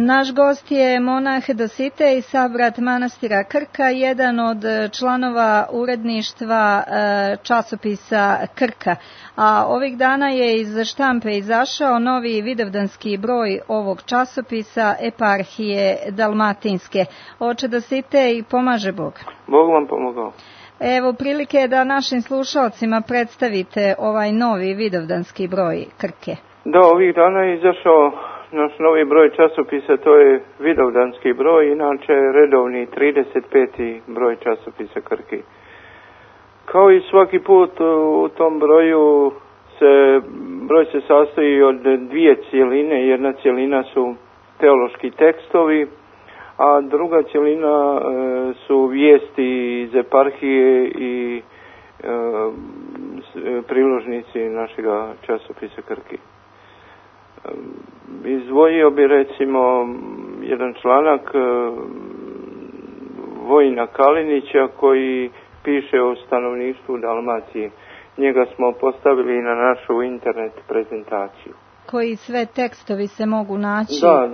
Naš gost je monah Dositej, sabrat manastira Krka, jedan od članova uredništva časopisa Krka. A ovih dana je iz štampe izašao novi vidovdanski broj ovog časopisa Eparhije Dalmatinske. Oče Dositej, pomaže Bog. Bog vam pomogao. Evo prilike da našim slušalcima predstavite ovaj novi vidovdanski broj Krke. Da, ovih dana je izašao naš novi broj časopisa, to je vidovdanski broj, inače redovni 35. broj časopisa Krke. Kao i svaki put u tom broju broj se sastoji od dvije cjeline. Jedna cjelina su teološki tekstovi, a druga cjelina su vijesti iz eparhije i priložnici našega časopisa Krke. Izdvojio bi recimo jedan članak Vojina Kalinića koji piše o stanovništvu Dalmacije. Njega smo postavili na našu internet prezentaciju. Koji sve tekstovi se mogu naći? Da,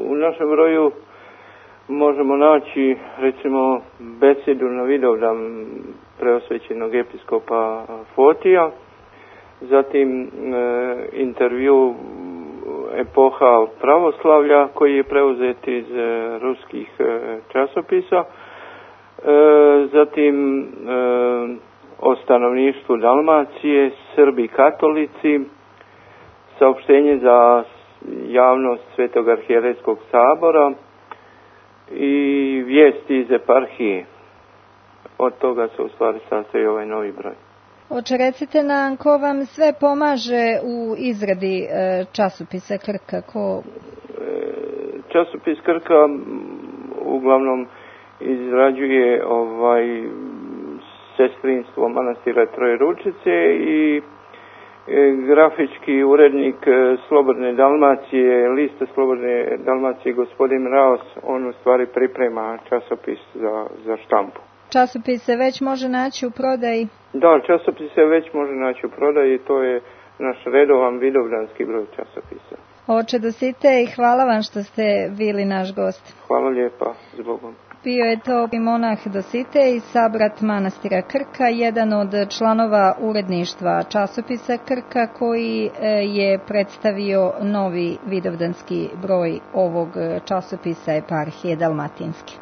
u našem broju možemo naći recimo besedu na Vidovdan preosvećenog episkopa Fotija, zatim intervju epoha pravoslavlja koji je preuzet iz ruskih časopisa, zatim o stanovništvu Dalmacije, Srbi katolici, saopštenje za javnost Svetog arhijerejskog sabora i vijesti iz eparhije. Od toga se u stvari sastoji ovaj novi broj. Oče, recite nam ko vam sve pomaže u izradi časopisa Krka? Časopis Krka uglavnom izrađuje sestrinstvo manastira Trojeručice i grafički urednik Slobodne Dalmacije, liste Slobodne Dalmacije, gospodin Raos, on u stvari priprema časopis za štampu. Časopis se već može naći u prodaji? Da, časopis se već može naći u prodaji, to je naš redovan vidovdanski broj časopisa. Oče Dositej, hvala vam što ste bili naš gost. Hvala lijepa, zbogom. Bio je to monah Dositej, sabrat manastira Krka, jedan od članova uredništva časopisa Krka koji je predstavio novi vidovdanski broj ovog časopisa Eparhije Dalmatinske.